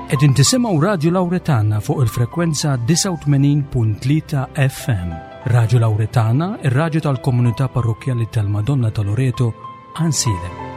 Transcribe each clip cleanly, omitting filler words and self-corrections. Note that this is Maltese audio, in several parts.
Qegħdin tisimgħu Radju Lawretana fuq il-frekwenza 89.3 FM. Radju Lawretana, ir-radju tal-komunità parrokkjali tal-Madonna ta' Loreto, Ansilem.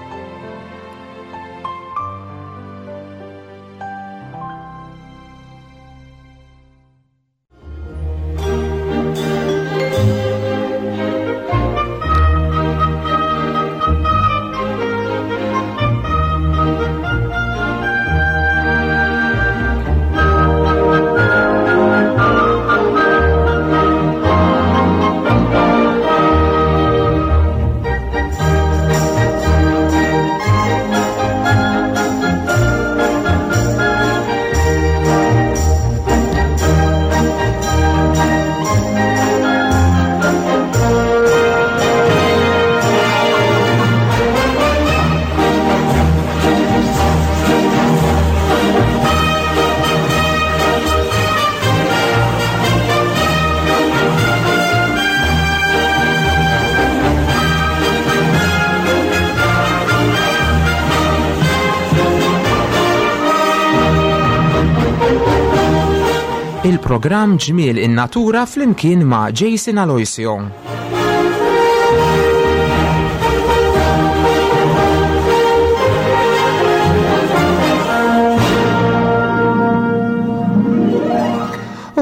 Il-programm Ġmiel in-Natura flimkien ma' Jason Aloisio.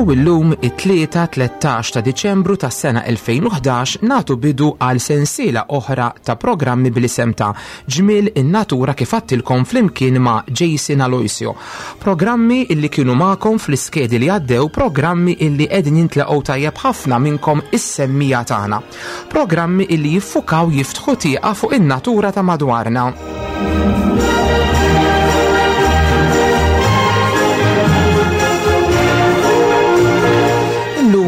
U illum it-Tlieta 13 ta' Diċembru tas-sena 2011 nagħtu bidu għal sensiela oħra ta' programmi bl-isem ta' Ġmiel in-Natura kif għadtilkom flimkien ma' Jason Aloisio. Programmi illi kienu magħkom fl-iskedi li għaddew, programmi illi qegħdin jintlaqgħu tajjeb ħafna minnkom is-semmiegħa tagħna. Programmi illi jiffukaw jiftħu tieqa fuq in-natura ta' madwarna.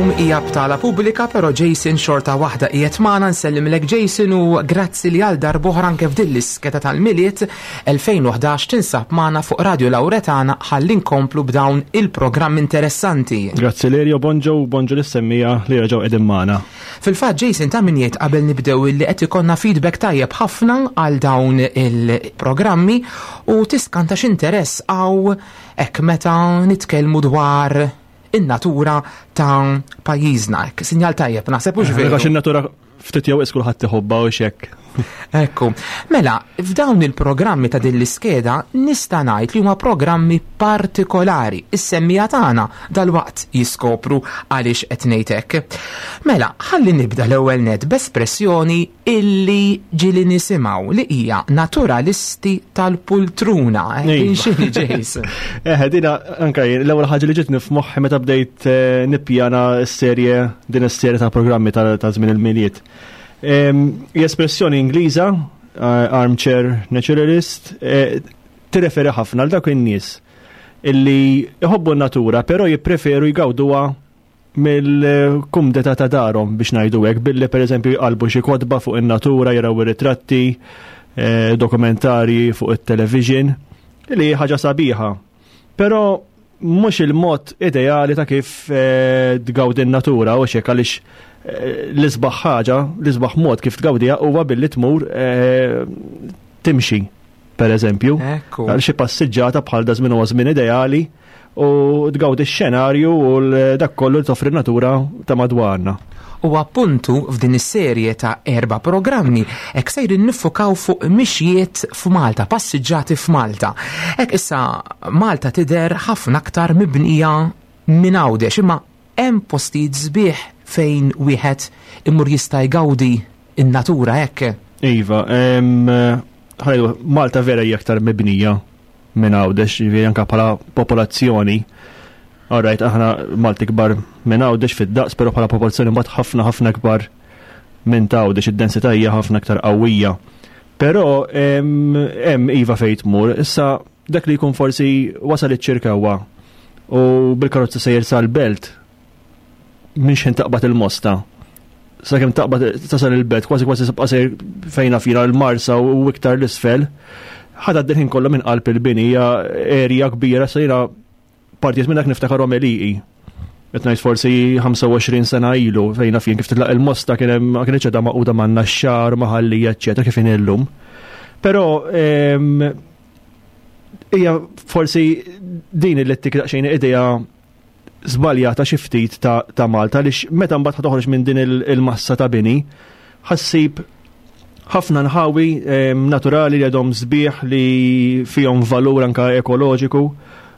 Illum hija btala pubblika però Jason xorta waħda qiegħed magħna nsellimlek Jason u grazzi li għal darb'oħra anke f'din l-iskeda tal-Milied 2011 tinsab magħna fuq Radio Lauretana ħalli nkomplu b'dawn il-programm interessanti. Grazzi Lerio, bonġo u bonġo lis-semmija li reġgħu qegħdin magħna. Fil-fatt Jason ta' min jgħid qabel nibdew illi qed ikollna feedback tajjeb ħafna għal dawn il-programmi u tiskanta x'interess hawn hekk meta nitkellmu dwar in-natura ta' pajjiżna. Hekk sinjal tajjeb naħseb hux veru. Għax in-natura ftit jew kulħadd iħobbha u xekk. Ekku. Mela, f'dawn il-programmi ta' din l-iskeda nista' ngħid li huma programmi partikolari. Is-semmija tagħna dalwaqt jiskopru għaliex qed ngħid hekk. Mela, ħalli nibda l-ewwel net b'espressjoni illi ġieli nisimgħu li hija naturalisti tal-pultruna. Eh, din iva. x'inhi Jason? Eh, dina anke l-ewwel ħaġa li ġietni f'moħħi meta bdejt eh, nippjana s-serje din is-serje ta' programmi ta' żmien il-miliet. Hija espressjoni Ingliża, eh, armchair naturalist, eh, tirreferi ħafna għal dawk in-nies illi jħobbu n-natura, però jippreferu jgawduha mill-kumdeta ta' darhom biex ngħidu hekk, billi pereżempju jqalbu xi kotba fuq in-natura, jaraw ir-ritratti, eh, dokumentarji fuq it-television, li ħaġa sabiħa. Però mhux il-mod ideali ta' kif eh, tgawdi n-natura u xek għaliex eh, l-isbaħ ħaġa, l-isbaħ mod kif tgawdiha huwa billi tmur eh, timxi, per eżempju. Għal xi passiġġata bħal da żmien huwa żmien ideali u tgawdi x-xenarju u dak kollu li toffri natura ta' madwarna. U appuntu f'din is-serje ta' erba' programmi hekk sejrin niffukaw fuq mixjiet f'Malta, passiġġati f'Malta. Hekk issa Malta tidher ħafna aktar mibnija minn Għawdex, imma hemm postijiet sbieħ fejn wieħed imur jista' jgawdi n-natura hekk. Iva, Malta vera hija aktar mibnija minn Għawdex, jiġifieri anke bħala popolazzjoni. Alright, aħna Malti kbar minn Għawdex fid-daqs, però bħala popolazzjoni mbagħad ħafna ħafna kbar minn ta' Għawdex, id-densità hija ħafna aktar qawwija. Però hemm iva fejn tmur, issa dak li jkun forsi wasal iċ-Ċirkewwa u bil-karozza sejjer sal-belt, minn xejn taqbad il-mosta. Sakemm taqbad tasal il-belt, kważi kważi tibqa' sejr fejn fina l-Marsa u iktar l-isfel. Ħadha d-ħin kollha minn qalb il-bini hija erja kbira sejra partijiet minn dak niftakarhom għelieqi. Qed ngħid forsi 25 sena ilu fejn fien kif titlaq il-mosta kien hemm ma kienx qiegħda maquda man-naxxar, maħallija, eċċetera kif inhi llum. Però ehm, Hija forsi din li ttik daqsxejn idea żbaljata xi ftit ta', ta Malta għaliex meta mbagħad toħroġ minn din il-massa ta' bini ħassib ħafna nħawi naturali li għadhom sbieħ li fihom valur anka ekoloġiku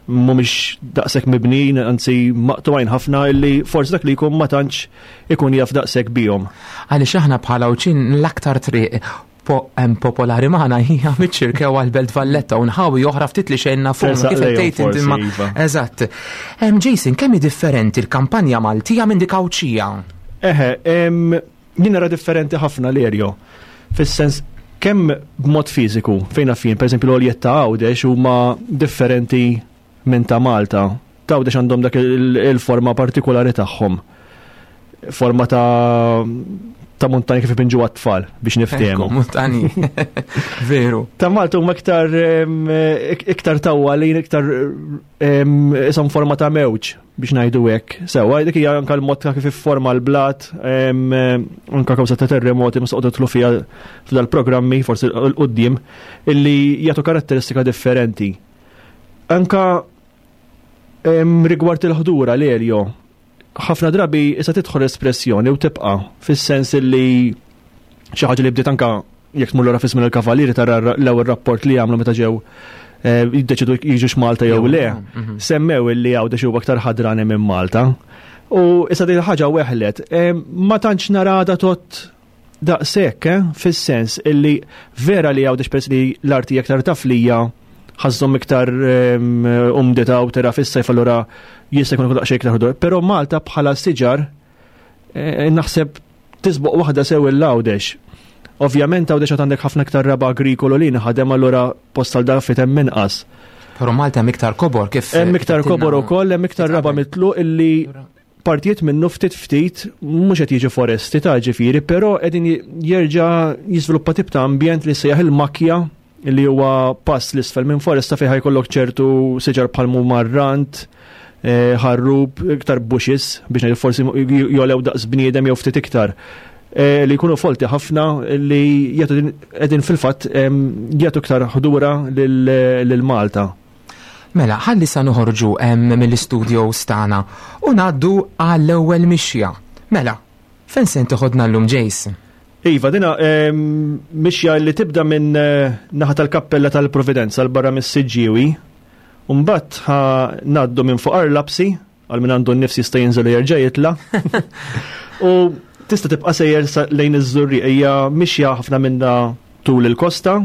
mhumiex daqshekk mibnin, anzi maqtuajn ħafna illi forsi dak li jkun ma tantx ikun jaf daqshekk bihom. Għaliex aħna bħala uċin l-aktar triq popolari magħna hija miċ-ċirkew għal-Belt Valletta u nħawi oħra ftit li xejn nafu kif tgħid inti ma. Iva. Eżatt. Jason, kemm hi differenti l-kampanja Maltija minn dik Għawdxija? Eħe, jien nara differenti ħafna l-erjo. Fis-sens kemm b'mod fiżiku, fejn naf jien, pereżempju l-għoljiet ta' Għawdex huma differenti minn ta' Malta. Ta' Għawdex għandhom dak il-forma partikolari tagħhom. Forma ta' ta' montani kif ipinġu għat-tfal biex niftehmu. Montani. Veru. Ta' Malta huma iktar iktar tawwalin, iktar isom forma ta' mewġ biex ngħidu hekk. Sewwa, dik hija anke l-mod ta' kif ifforma l-blat, anke kawża ta' terremoti ma soqgħod tlu fiha f'dal-programmi forsi l-qudiem illi jagħtu karatteristika differenti. Anka rigward il-ħdura l-eljo, ħafna drabi issa tidħol espressjoni u tibqa' fis-sens li xi ħaġa li bdiet anka jekk tmur lura fi żmien il-Kavalieri tara l-ewwel rapport li għamlu meta ġew eh, jiddeċidu jiġux Malta jew le, mhm. semmew illi għawdex huwa aktar ħadrani minn Malta. U issa din ħaġa weħlet, ma tantx narada tot Daqshekk, eh, fis-sens illi vera li Għawdex peress li l-arti hija aktar taflija, ħażhom iktar ehm, umdità u tera fis-sajf allura jista' jkun daqsxejn iktar ħodur. Però Malta bħala siġar eh, naħseb tisboq waħda sew il-Għawdex. Ovvjament Għawdex għad għandek ħafna iktar raba agrikolu li nħadem allura post għal dan fit hemm inqas. Però Malta hemm iktar kobor kif. Hemm iktar kobor ukoll, hemm iktar raba mitluq illi partijiet minnu ftit ftit mhux qed jiġu foresti ta' ġifieri, però qegħdin jerġa' jiżviluppa tip ta' ambjent li sejjaħ il-makja li huwa pass l-isfel minn foresta fejn ħajkollok ċertu siġar bħal marrant, eh, ħarrub, iktar bushes biex ngħidu forsi jolew daqs bniedem jew ftit iktar. Eh, li jkunu folti ħafna li jagħtu qegħdin fil-fatt jagħtu iktar ħdura lil Malta. Mela, ħalli sa noħorġu mill-istudios tagħna u ngħaddu għall-ewwel mixja. Mela, fejn se toħodna llum Jace? Iva, dina mixja li tibda minn eh, naħa tal-kappella tal-Providenza l barra mis-Siġġiewi, u mbagħad ngħaddu minn fuq Arlapsi, għal min għandu n-nifs jista' jinżel u jerġa' jitla'. U tista' tibqa' sejjer lejn iż-Żurrieq hija mixja ħafna minna tul il-kosta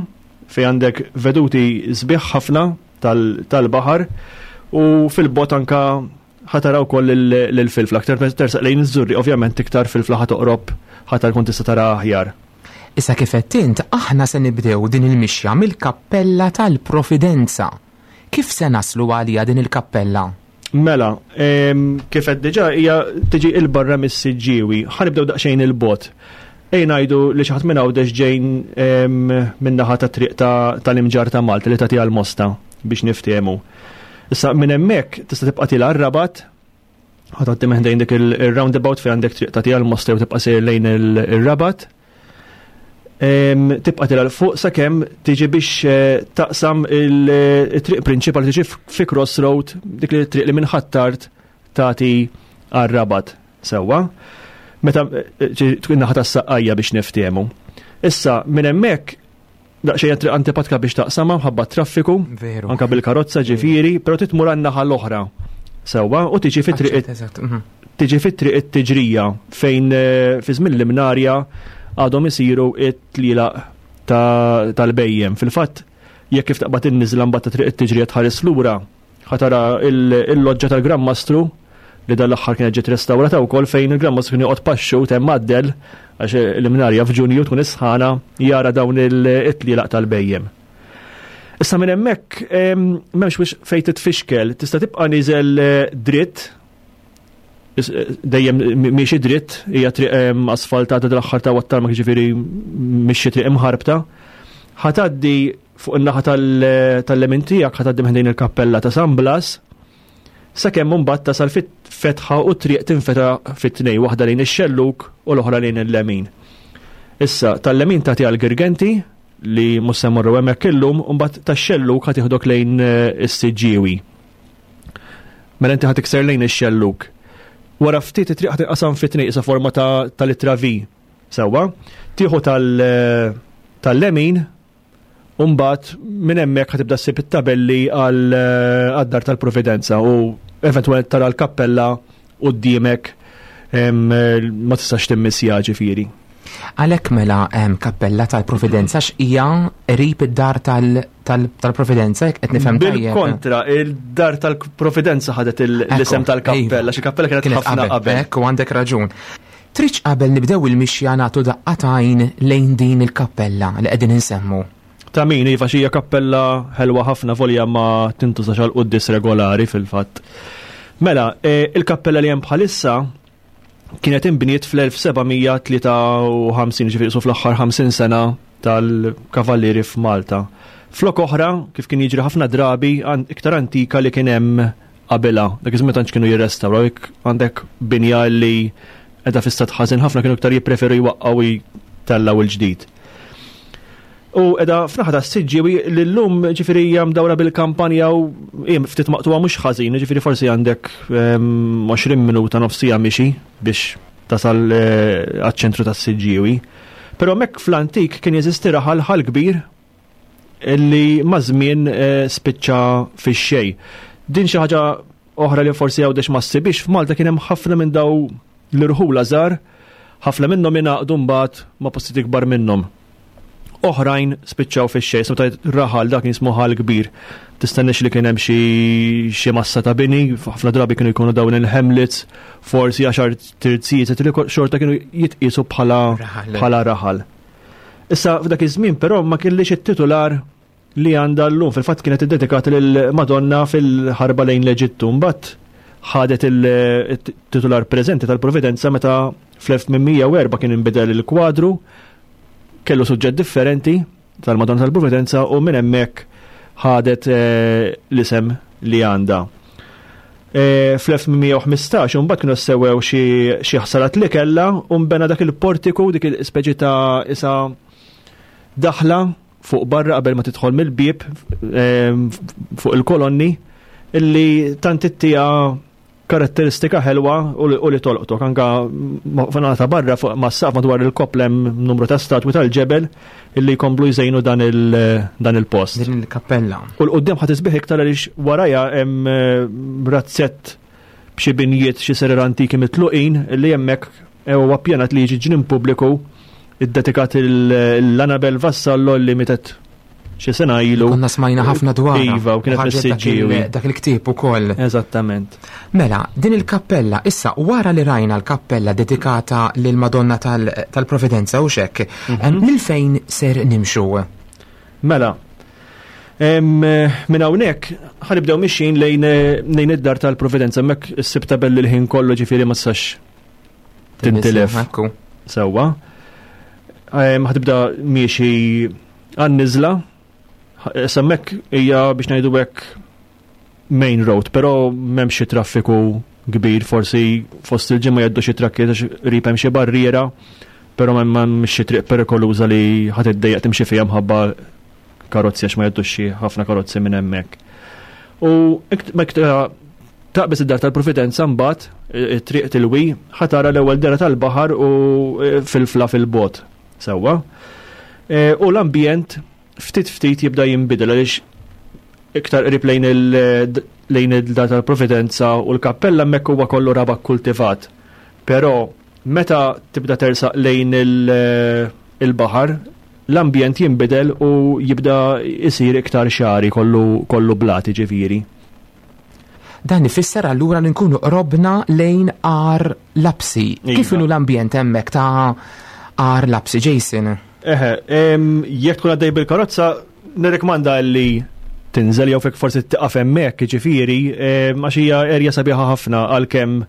fejn għandek veduti sbieħ ħafna tal-baħar u fil-bot anka ħatara wkoll l-filfla. Aktar tersaq lejn iż-Żurrieq ovvjament iktar filfla ħa toqrob ħatar kont tista' tara aħjar. Issa kif għedt int, aħna se nibdew din il-mixja mill-Kappella tal-Providenza. Kif se naslu għaliha din il-kappella? Mela, kif qed diġà hija tiġi il barra mis-Siġġiewi. Ħa nibdew daqsxejn il-bogħod. Ejja ngħidu li xi ħadd minn Għawdex ġejn min-naħa tat-triq tal-Imġarr ta' Malta li tagħti għall-Mosta biex niftehmu. Issa minn hemmhekk tista' tibqa' tilgħa r-Rabat, ħa tgħaddi minn ħdejn dik il-roundabout fejn għandek triq tagħti għall-Mosta jew tibqa' sejjer lejn ir-Rabat. Tibqa' tilgħa 'l fuq sakemm tiġi biex eh, taqsam il-triq prinċipali tiġi fi crossroad dik li triq li minn Ħ'Attard tagħti għar-Rabat sewwa. Meta eh, tkun naħa tas-Saqqajja biex niftehmu. Issa minn hemmhekk daqsxejn triq antipatka biex taqsamha mħabba traffiku, anka bil-karozza ġifieri, però titmur għan-naħa l-oħra. Sewwa u tiġi fi triq mhm. tiġi fit-triq it-tiġrija fejn eh, fi żmien l-imnarja għadhom isiru it-tlilaq tal-bejjem. Fil-fatt, jekk kif taqbad in-niżla mbagħad ta' triq it-tiġrija tħares lura, ħatara il-loġġa tal-Gran Mastru li dan l-aħħar kienet ġiet restawrata wkoll fejn il-Gran Mastru kien joqgħod paxxu temm għaddel għax l-imnarja f'Ġunju tkun isħana jara dawn it-tlielaq tal-bejjem. Issa minn hemmhekk m'hemmx biex fejn titfixkel, tista' tibqa' niżel eh, dritt eh, dejjem miexi dritt, hija triq asfaltata dal-aħħar ta' wattar ma ġifieri mhix xi triq imħarbta. Ħataddi fuq in-naħa tal-lemin tiegħek ħataddi minn il-kappella ta' San Blas, sakemm imbagħad tasal fit-fetħa u triq tinfeta fit-tnej, waħda lejn ix-xellug u l-oħra lejn il-lemin. Issa, tal-lemin tagħti għal Girgenti, li mhux se mmorru hemmhekk illum, u mbagħad tax-xellug ħa tieħdok lejn eh, is-Siġġiewi. Mela inti ħa tikser lejn ix-xellug. Wara ftit it-triq ħa tinqasam fi tnejn isa forma ta' tal-ittra V. Sewwa, tieħu eh, tal-lemin u mbagħad minn hemmhekk ħa tibda ssib it-tabelli għal eh, għad-dar tal-Providenza u eventwalment tara l-kappella quddiemek eh, ma tistax timmissja ġifieri. Għalhekk mela hemm kappella tal-Providenza x'hija qrib id-dar tal-Providenza jekk qed nifhem tajjeb. Bil-kontra, il-dar tal-Providenza ħadet l-isem tal-kappella, xi kappella kienet ħafna qabel. Ekku għandek raġun. Tridx qabel nibdew il-mixja nagħtu daqqa t'għajn lejn din il-kappella li qegħdin insemmu? Ta' min, iva, xi hija kappella ħelwa ħafna volja ma tintużax għal quddies regolari fil-fatt. Mela, e, il-kappella li hemm bħalissa kienet inbniet fl-1753, ġifieri su fl-aħħar 50 sena tal-kavallieri f'Malta. Flok oħra, kif kien jiġri ħafna drabi, iktar antika li kien hemm qabilha. Dak iż-żmien tantx kienu jirrestawraw, jekk għandek binja li qiegħda fi stat ħażin ħafna kienu iktar jippreferu jwaqqgħu jtellgħu il-ġdid. U qiegħda f'naħa tas-Siġġiewi li llum ġifieri hija mdawra bil-kampanja u ftit maqtuha mhux ħażin, ġifieri forsi għandek 20 ehm, minuta nofsija mixi biex tasal eh, għaċ-ċentru tas-Siġġiewi. Però hemmhekk fl-antik kien jeżisti raħal ħal kbir li maż-żmien eh, spiċċa fix-xejn. Din xi ħaġa oħra li forsi għawdex ma ssibix f'Malta kien hemm ħafna minn daw l-irħula żgħar, ħafna minnhom ingħaqdu mbagħad ma' postijiet ikbar minnhom. Oħrajn spiċċaw fix-xejn, so tajt raħal dak jismu ħal kbir. Tistenniex li kien hemm xi massa ta' bini, ħafna drabi kienu jkunu dawn il-hamlets, forsi għaxar terzijiet, li xorta kienu jitqisu bħala bħala raħal. Issa f'dak iż-żmien però ma kellix it-titular li għandha llum. Fil-fatt kienet iddedikata lil Madonna fil-ħarba lejn l-Eġittu. Mbagħad ħadet il-titular preżenti tal-Providenza meta fl-1804 kien inbidel il-kwadru, kellu suġġett differenti tal-Madonna tal-Providenza u minn hemmhekk ħadet eh, l-isem li għandha. E, Fl-1815 imbagħad kienu sewwew xi ħsarat li kellha u nbena dak il-portiku dik il-speċi ta' isa daħla fuq barra qabel ma tidħol mill-bieb e, fuq il-kolonni illi tant ittija karatteristika ħelwa u li tolqtok anka fanata barra fuq mas-saqf madwar il-koppla hemm numru ta' statwi tal-ġebel illi jkomplu jżejnu dan il-post. Din il-kappella. U l-qoddim ħa tisbieħ iktar għaliex warajha hemm eh, razzett b'xi binjiet xi serer antiki mitluqin li hemmhekk eh, huwa ppjanat li jiġi ġnien pubbliku iddedikat l-Anabel Vassallo li mietet xi sena ilu. Konna smajna ħafna dwar. Iva, u kienet mis-Siġġiewi. Dak il-ktieb ukoll. Eżattament. Mela, din il-kappella, issa wara li rajna l-kappella dedikata lil Madonna tal-Providenza u xek, mhm. lil fejn ser nimxu? Mela, minn hawnhekk ħanibdew mixjin lejn lejn id-dar tal-Providenza, hemmhekk issib tabelli l-ħin kollu ġifieri ma tistax tintilef. Sewwa. Ħatibda miexi għan-niżla, semmek hija biex ngħidu hekk main road, però m'hemmx xi traffiku kbir, forsi fost il-ġimgħa jgħaddu xi trakkiet għax qrib hemm xi barriera, però m'hemm xi triq perikoluża li ħadd iddejjaq timxi fiha mħabba karozzi għax ma jgħaddux xi ħafna karozzi minn hemmhekk. U taqbeż id-dar tal-Providenza mbagħad it-triq tilwi ħatara l-ewwel dera tal-baħar u e, fil-fla fil-bot. Sewwa. E, u l-ambjent ftit ftit jibda jinbidel għaliex iktar qrib lejn lejn id-dar tal-Providenza u l-kappella hemmhekk huwa kollu raba kultivat. Però meta tibda tersaq lejn il-baħar, l-ambjent jinbidel u jibda jsir iktar xagħri kollu kollu blat jiġifieri. Dan ifisser allura li nkunu qrobna lejn Għar Lapsi. Iva. Kif inhu l-ambjent hemmhekk ta' Għar Lapsi, Jason? Eħe, jekk tkun għaddej bil-karozza, nirrikmanda li tinżel jew fek forsi tiqaf hemmhekk, jiġifieri, għax hija erja sabiħa ħafna għalkemm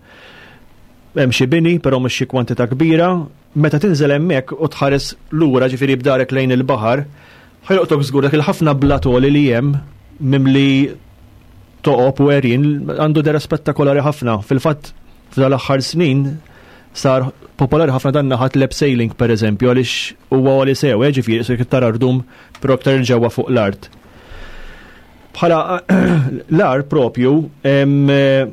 hemm xi bini, però mhux xi kwantità kbira. Meta tinżel hemmhekk u tħares lura, ġifieri b'darek lejn il-baħar, ħa jolqtok żgur dak il-ħafna blatoli li hemm mimli toqob u għerien għandu dera spettakolari ħafna. Fil-fatt f'dal-aħħar snin Sar popolari ħafna dan naħat l sailing per eżempju għaliex huwa għali sew, eh, ġifieri se tara rdum però aktar il-ġewwa fuq l-art. Bħala l-ar propju eh,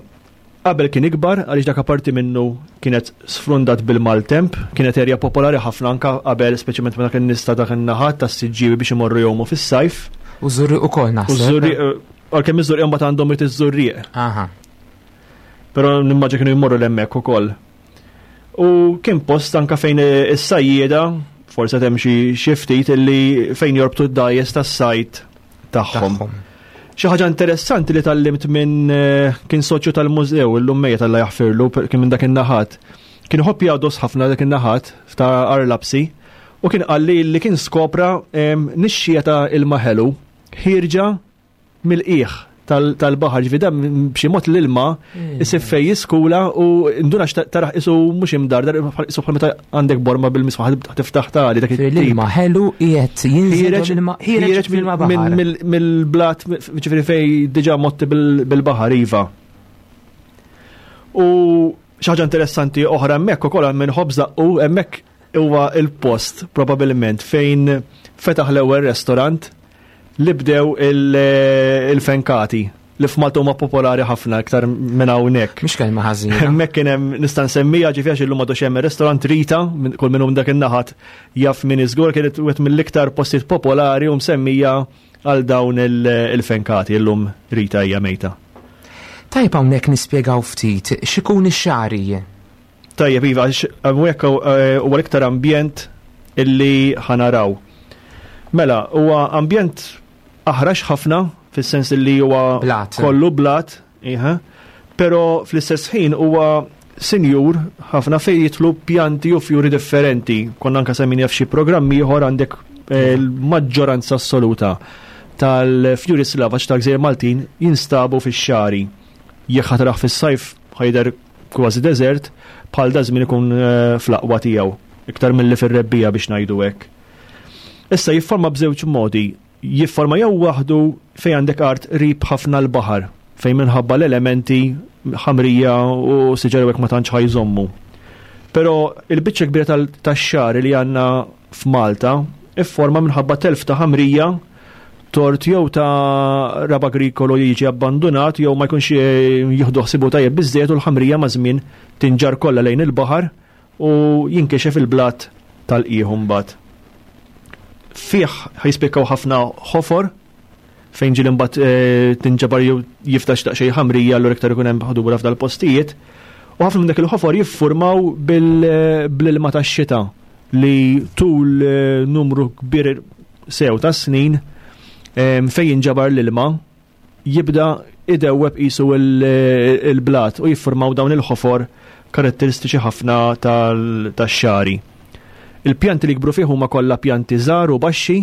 qabel kien ikbar għaliex dak parti minnu kienet sfrundat bil-maltemp, kienet erja popolari ħafna anka qabel speċjalment meta kien nista dak in-naħat tas-siġġiewi biex imorru jgħumu fis-sajf. U żurriq ukoll naħseb. U żurriq eh, għalkemm iż-żurriq mbagħad għandhom iż-żurrieq. Aha. Però nimmaġa kienu jmorru l-hemmhekk ukoll. U kien post anka fejn is-sajjieda, forse hemm xi ftit illi fejn jorbtu d-dajes tas-sajt tagħhom. Xi ħaġa interessanti li tallimt minn eh, kien soċju tal-mużew illum mejja tal jaħfirlu kien minn dak in-naħat. Kien iħobb jgħados ħafna dak in-naħat ta' Arlapsi u kien qalli li kien skopra nixxija ta' ilma ħelu ħierġa mill-qiegħ tal-baħar, ġifi dan b'xi mod l-ilma hmm. isib fej jiskula u nduna taraħ isu mhux imdardar isu bħal meta għandek borma bil-misfaħ tiftaħ tali dak L-ilma ħelu qiegħed jinżel ilma ħiereġ mill-baħar. Mill-blat ġifieri fej diġà motti bil-baħar iva. U xi ħaġa interessanti oħra hemmhekk ukoll minn ħobż u hemmhekk huwa il-post probabilment fejn fetaħ l-ewwel restorant li bdew il-fenkati li f'Malta huma popolari ħafna iktar minn hawnhekk. Mhix kelma ħażina. Hemmhekk kien hemm nista' nsemmija ġifi għax illum għadu hemm ir-restorant Rita, kull minn dak in-naħat jaf min iżgur kienet wieħed mill-iktar postijiet popolari u msemmija għal dawn il-fenkati illum Rita hija mejta. Tajb hawnhekk nispjegaw ftit x'ikun ix-xagħri. Tajjeb, iva, għax hawnhekk eh, huwa l-iktar ambjent illi ħanaraw. Mela, huwa ambjent aħrax ħafna, fis-sens illi huwa kollu blat, iha, pero fl-istess ħin huwa sinjur ħafna fejn jitlu pjanti u fjuri differenti. Konna anka semmin f'xi programmi ieħor għandek eh, l-maġġoranza assoluta tal-fjuri slavaċ tal-Gżejjer Maltin jinstabu fix-xari. Jekk ħatraħ fis-sajf ħajder kważi deżert, bħal da żmien ikun eh, fl-aqwa tiegħu, iktar milli fir-rebbija biex ngħidu hekk. Issa jifforma b'żewġ modi, jifforma jew waħdu fejn għandek art qrib ħafna l-baħar, fejn minħabba l-elementi ħamrija u siġar hekk ma tantx ħajżommu. Però il-biċċa kbira tax-xagħar li għandna f'Malta ifforma minħabba telf ta' ħamrija tort jew ta' raba agrikolu jiġi abbandunat jew ma jkunx eh, jieħdu ħsibu tajjeb biżżejjed u l-ħamrija ma' żmien tinġar kollha lejn il-baħar u jinkixef il-blat tal-qiegħ mbagħad. Fih ħajspikkaw ħafna ħofor fejn ġieli mbagħad eh, tinġabar jew jiftax daqsxejn ħamrija allura iktar ikun hemm ħdura f'dal-postijiet. U ħafna minn dak il-ħofor jiffurmaw eh, bl-ilma tax-xita li tul numru kbir sew ta' snin fejn jinġabar l-ilma jibda idewweb qisu il-blat u jiffurmaw dawn il-ħofor karatteristiċi ħafna tax-xari. Il-pjanti li jikbru fih huma kollha pjanti żgħar u baxxi,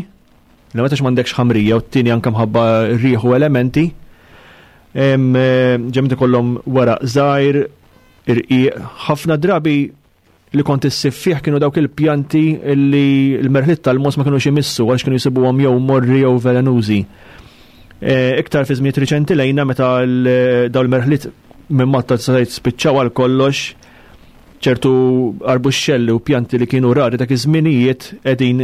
li meta m'għandekx ħamrija u t-tieni anke mħabba riħ u elementi. Ġemmet ikollhom weraq żgħir, irqiq, ħafna drabi li kont issib fih kienu dawk il-pjanti li l-merħliet tal-mos ma kinux imissu għax kienu jsibuhom jew morri jew velenużi. E, iktar fi żmiet riċenti lejna meta dawn il-merħliet minn Malta tista' spiċċaw għal kollox ċertu arbuxxelli u pjanti li kienu rari dak iż-żminijiet qegħdin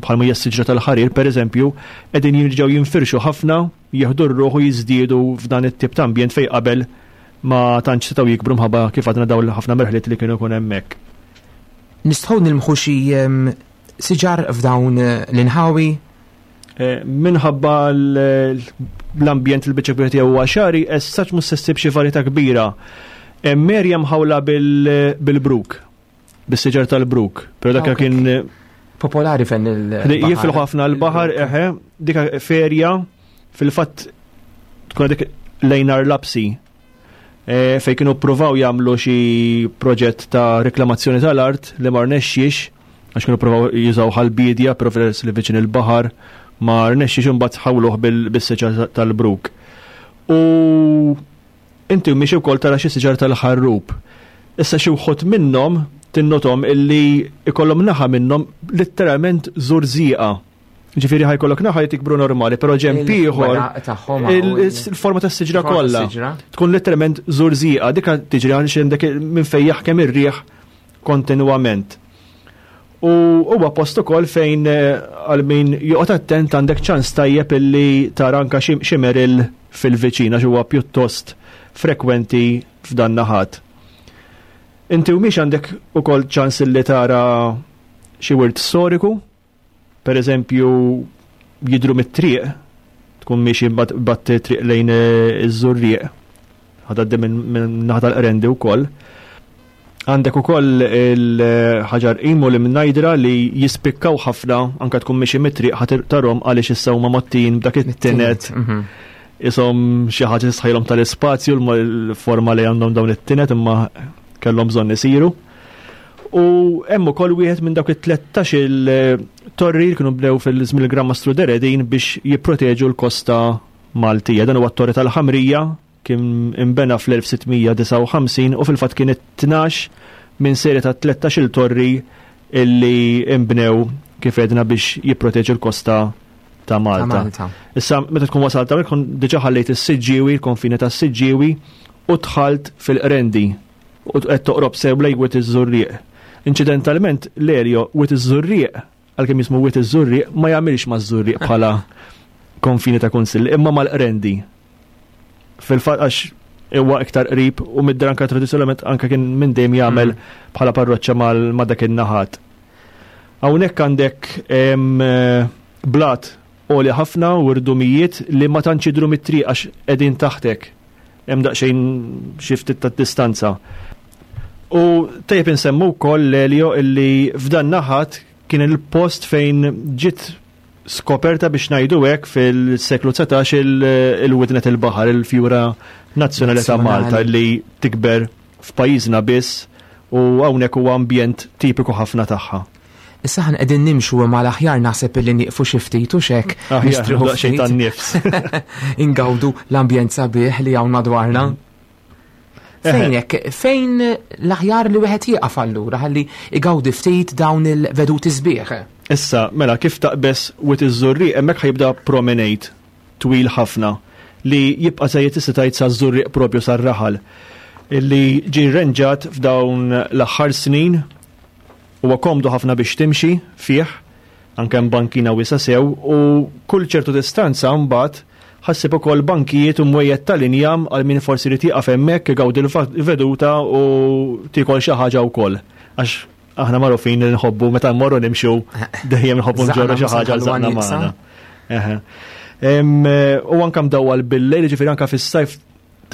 bħalma hija s-siġra tal-ħarir pereżempju qegħdin jirġgħu jinfirxu ħafna jieħdu r-ruħ u jiżdiedu f'dan it-tip ta' ambjent fejn qabel ma tantx setgħu jikbru mħabba kif għadna dawn ħafna merħliet li kienu jkun hemmhekk. Nistgħu nilmħu xi siġar f'dawn eh, l-inħawi? Eh, minħabba l-ambjent il-biċċa kbira tiegħu huwa xari, essaċ mhux se ssib xi varjetà kbira. Merja mħawla bil-bruk. bis-siġar tal-bruk, pero dak kien popolari fejn il Jifilħu ħafna l-baħar, eħe, dik ferja fil-fatt tkun dik lejn lapsi e, fej kienu provaw jagħmlu xi proġett ta' reklamazzjoni tal-art li ma rnexxiex għax kienu provaw jużaw ħal-bidja però li viċin il-baħar ma rnexxiex imbagħad ħawluh bil-siġar tal-bruk. U Inti miexi wkoll tara xi siġar tal-ħarrub. Issa xi wħud minnhom tinnothom illi ikollhom naħa minnhom litteralment żurżieqa. Ġifieri ħajkollok naħa li tikbru normali, però ġemp ieħor il-forma tas-siġra kollha tkun litteralment żurżieqa, dika tiġri għaliex għandek minn fejn jaħkem ir-riħ. kontinwament. U huwa post ukoll fejn eh, għal min joqgħod attent għandek ċans tajjeb illi tara anka xi meril fil-viċin għax huwa pjuttost frekwenti f'dan naħat. Inti u miex għandek ukoll ċans illi tara xi wirt storiku, Per eżempju, jidru mit-triq, tkun miexi bat triq lejn eh, iż-żurrieq, ħadaddi minn naħa tal-qrendi wkoll. Għandek ukoll il-ħaġar qimu li mnajdra li jispikkaw ħafna anka tkun miexi mit-triq ħadd tarhom għaliex issa huma mottin b'dak it-tinet. Mhm. Isom xi ħaġa tisħajlhom tal-ispazju l-forma li għandhom dawn it-tinet imma kellhom bżonn isiru. U hemm ukoll wieħed minn dawk it-13 il-torri li kienu bnew fil-żmien il-Gran Mastru Deredin biex jipproteġu l-kosta Maltija. Dan huwa t-Torri tal-Ħamrija kien imbena fl-1659 u fil-fatt kien it-tnax minn serje ta' 13 il-torri illi imbnew kif edna biex jipproteġu l-kosta ta' Malta. Issa meta tkun wasalt hawnhekk tkun diġà ħallejt is-Siġġiewi, il-konfini tas-Siġġiewi u dħalt fil-Qrendi. U qed toqrob sew lejn Wied iż-Żurrieq. Inċidentalment, l-Elio Wied iż-Żurrieq, għalkemm jismu Wied iż-Żurrieq, ma jagħmilx maż-Żurrieq bħala konfini ta' kunsill, imma mal-Qrendi. Fil-fatt għax huwa iktar qrib u mid anka tradizzjonalment anka kien minn dejjem jagħmel mm. bħala parroċċa ma' dak in-naħat. Hawnhekk għandek eh, blat għoli ħafna u rdumijiet li ma tantx jidhru mit-triq għax qegħdin taħtek. Hemm daqsxejn xi ftit ta' distanza. U tajjeb insemmu wkoll l-Elio illi f'dan naħat kien il-post fejn ġiet skoperta biex ngħidu hekk fil-seklu 19 il-widnet il-baħar, il-fjura nazzjonali ta' Malta li tikber f'pajjiżna biss u hawnhekk huwa ambjent tipiku ħafna tagħha. Issa aħna qegħdin nimxu imma l-aħjar naħseb illi nieqfu xi ftit u x'hekk nistrieħu ftit. tan-nifs. Ingawdu l-ambjent sabiħ li hawn madwarna. Fejn hekk, fejn l-aħjar li wieħed jieqaf allura ħalli igawdi ftit dawn il-veduti sbieħ? Issa, mela kif taqbeż Wied iż-Żurrieq hemmhekk ħajibda promenade twil ħafna li jibqa' sejjer tista' tgħid saż-Żurrieq propju sar-raħal li ġie rrenġat f'dawn l-aħħar snin. Huwa komdu ħafna biex timxi fih, anke hemm bankina wiesgħa sew u kull ċertu distanza mbagħad ħassib ukoll bankijiet u mwejjed tal-injam għal min forsi jrid jieqaf hemmhekk igawdi l-veduta u tiekol xi ħaġa wkoll. Għax aħna magħrufin li nħobbu meta mmorru nimxu dejjem nħobbu nġorru xi ħaġa għal żaqna magħna. U anke mdawwal bil-lejl, ġifieri anke fis-sajf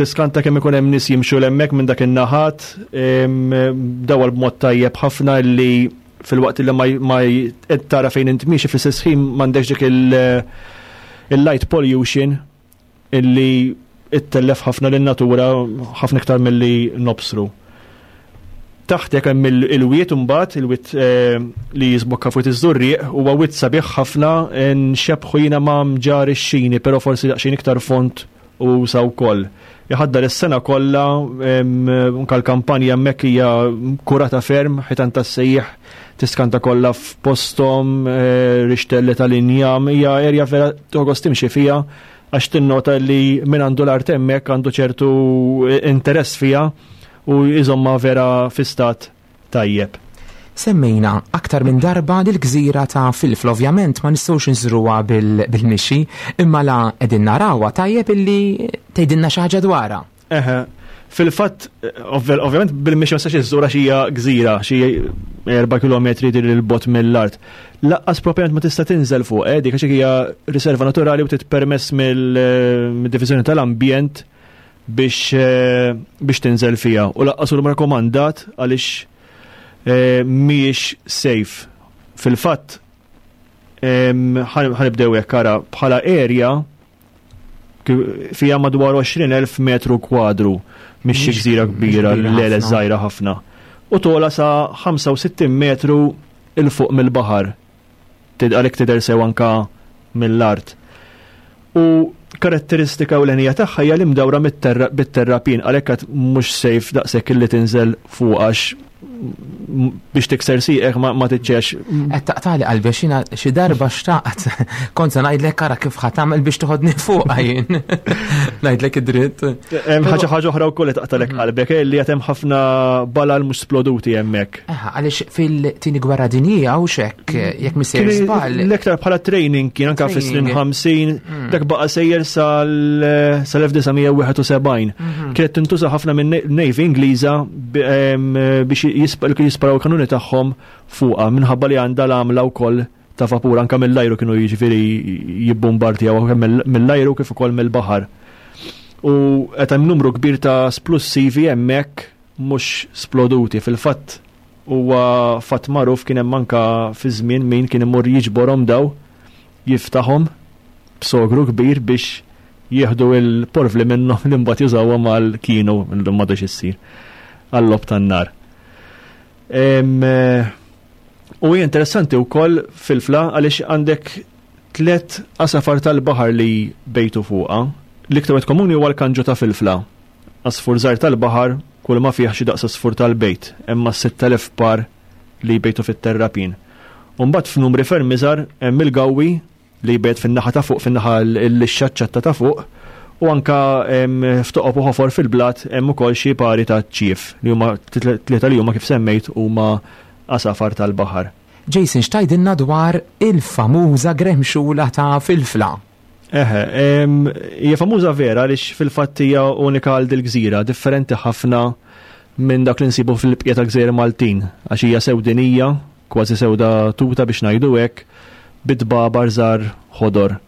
Tiskanta kemm ikun hemm nies jimxu 'l hemmhekk minn dak in-naħat, dawwal b'mod tajjeb ħafna li filwaqt li ma qed tara fejn int miexi fl-istess ħin m'għandekx dik il-light pollution illi ittellef ħafna lin-natura ħafna iktar milli nobsru. Taħtek hemm il-wied imbagħad, il-wied eh, li jiżbokka fuq iż-żurrieq, huwa wied sabiħ ħafna nxebħu jiena ma' mġar ix-xini, però forsi daqsxejn iktar font u usa wkoll. Iħaddar is-sena kollha, anke l-kampanja hemmhekk hija kurata ferm, ħitan tas-sejjieħ tiskanta kollha f'posthom, eh, rixtelli tal-injam, hija erja vera togost timxi fiha għax tinnota li min għandu l-art hemmhekk għandu ċertu interess fiha u jżomma vera fi stat tajjeb. Semmejna aktar minn darba lill-gżira ta' Filfla, ovvjament ma nistgħux inżuruha bil-mixi, imma la qegħdin narawha tajjeb illi tgħidilna xi ħaġa dwarha. Eħe, fil-fatt, ovvjament bil-mixi ma tistax iżżurha xi hija gżira, xi 4 kilometri dir il-bot mill-art. Laqqas propjament ma tista' tinżel fuq, eh, dik għax hija riserva naturali u titpermess mill-Diviżjoni tal-Ambjent biex eh, biex tinżel fiha u laqqas hu rakkomandat għaliex eh, mhijiex safe. Fil-fatt ħanibdew hekk ara bħala area fija madwar 20,000 metru kwadru mhix xi gżira kbira l-lele żgħira ħafna. U tola sa 65 metru il fuq mill-baħar. Għalhekk tidher sew anka mill-art. U karatteristika ewlenija tagħha hija li mdawra bit-terrapien għalhekk għad mhux safe daqshekk illi tinżel fuq għax biex tikser sieqek ma tiċċex. Qed taqtali qalbi għax jiena xi darba xtaqt kont se ngħidlek ara kif ħa tagħmel biex toħodni fuqha jien. Ngħidlek id-dritt. Hemm ħaġa ħaġa oħra wkoll li taqtalek mhm. qalbek eh, li qed hemm ħafna balal mhux sploduti hemmhekk. Għaliex fil-tieni gwerra dinjija u xek, jekk misser żball. L-iktar bħala training kien anke fis-snin 50, mm. dak baqa' sejjer sal-1971. Mhm. Kienet tintuża ħafna minn Navy Ingliża biex jisparaw kanuni tagħhom fuqha minħabba li għandha l-għamla wkoll ta' vapur anke mill-ajru kienu jiġifieri jibbombardjaw kemm mill-ajru kif ukoll mill-baħar. U qed hemm numru kbir ta' splussivi hemmhekk mhux sploduti. Fil-fatt huwa fatt magħruf kien hemm anka fi żmien min kien imur jiġborhom daw jiftaħhom b'sogru kbir biex jieħdu il-porvli minnhom li mbagħad jużawhom għal kienu llum m'għadux issir għal-logħob tan-nar. Eh, u hija interessanti wkoll fil-fla għaliex għandek tlet għasafar tal-baħar li bejtu fuqha. L-iktar wieħed komuni huwa l-kanġu ta' filfla. Għasfur żgħir tal-baħar kull ma fih xi daqs għasfur tal-bejt, hemm mas-6,000 par li jbejtu fit-terrapien. U mbagħad f'numri ferm iżgħar hemm il-gawwi li jbejt fin-naħa ta' fuq, fin-naħa l-lixxa ċatta ta' fuq, u anka f'toqob u ħofor fil-blat hemm ukoll xi pari ta' ċief li huma tlieta li huma kif semmejt huma għasafar tal-baħar. Jason x'tgħidilna dwar il-famuża gremxula ta' Filfla? Eħe, hija famuża vera għaliex fil-fatt hija unika għal dil-gżira, differenti ħafna minn dak li nsibu fil-bqija tal-gżejjer Maltin, għax hija sewdinija, kważi sewda tuta biex ngħidu hekk, bit-tbabar żgħar ħodor.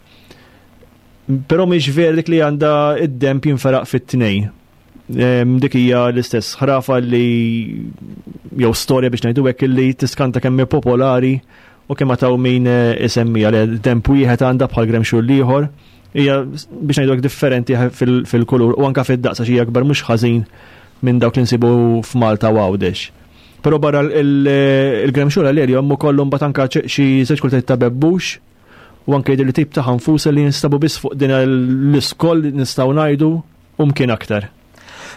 Però mhix vera dik li għandha id-demb jinferaq fit-tnej. Dik hija l-istess ħrafa li jew storja biex ngħidu hekk li tiskanta kemm hi popolari u kemm taw min eh, isemmija li demp wieħed għandha bħal gremxu l-ieħor hija biex ngħidu hekk differenti fil-kulur u anke fid-daqs għax hija akbar mhux ħażin minn dawk li nsibu f'Malta u Għawdex. Però barra il-gremxula l-erja hemm ukoll mbagħad anke xi żewġ kultajiet ta' bebbux u anke jidher li tip ta' ħanfusa li jinstabu biss fuq din l-iskoll nistgħu ngħidu u mkien aktar.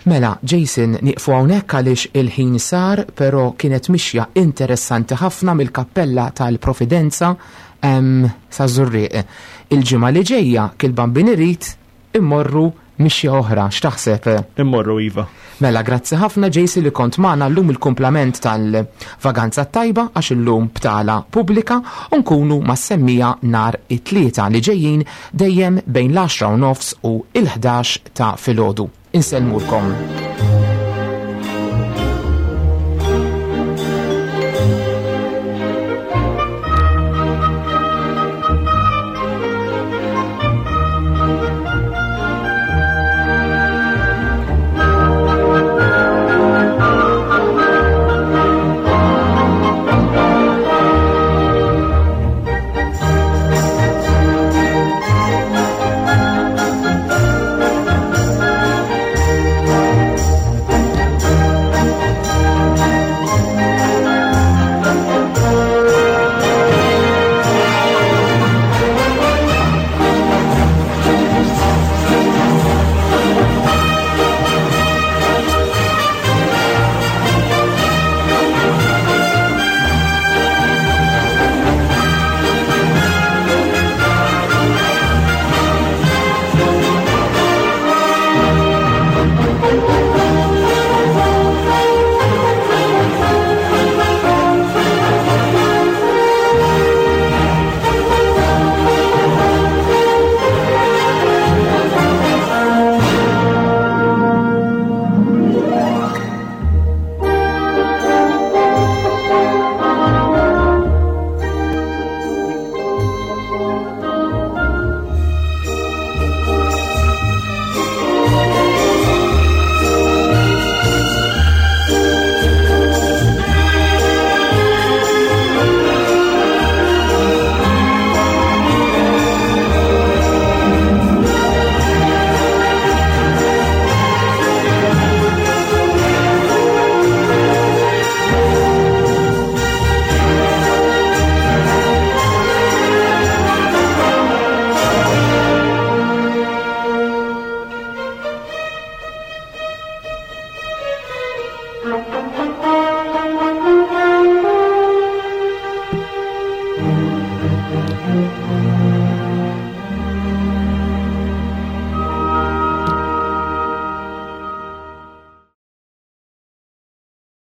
Mela, Jason, nieqfu hawnhekk għaliex il-ħin sar, però kienet mixja interessanti ħafna mill-Kappella tal-Providenza saż-Żurrieq. Il-ġimgħa li ġejja, kil-Bambin irid, Immorru mixja oħra, x'taħseb? Immorru iva. Mela, grazzi ħafna Jason li kont magħna llum il-kumplament tal-vaganza t-tajba għax illum btala pubblika u nkunu mas-semmija nhar it-Tlieta li ġejjin dejjem bejn l-għaxra u nofs u l-ħdax ta' filgħodu. Insellmulkom.